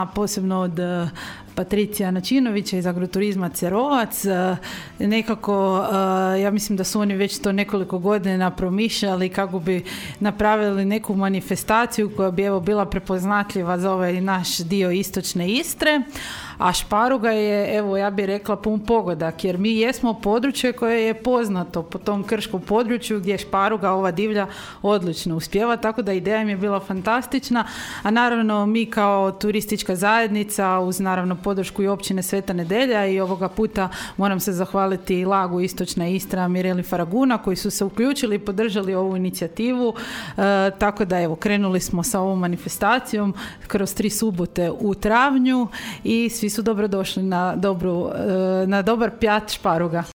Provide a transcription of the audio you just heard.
a posebno od Patricija Načinovića iz Agroturizma Cerovac. Nekako, ja mislim da su oni već to nekoliko godina promišljali kako bi napravili neku manifestaciju koja bi bila prepoznatljiva za ovaj naš dio istočne Istre. A šparuga je, ja bih rekla, pun pogodak, jer mi jesmo područje koje je poznato po tom krškom području gdje šparuga, ova divlja, odlično uspijeva, tako da ideja im je bila fantastična, a naravno mi kao turistička zajednica, uz naravno podršku i općine Sveta Nedelja, i ovoga puta moram se zahvaliti Lagu Istočna Istra, Mireli Faraguna, koji su se uključili i podržali ovu inicijativu, tako da krenuli smo sa ovom manifestacijom kroz 3 subote u travnju i svi su dobrodošli na dobar pjat šparuga.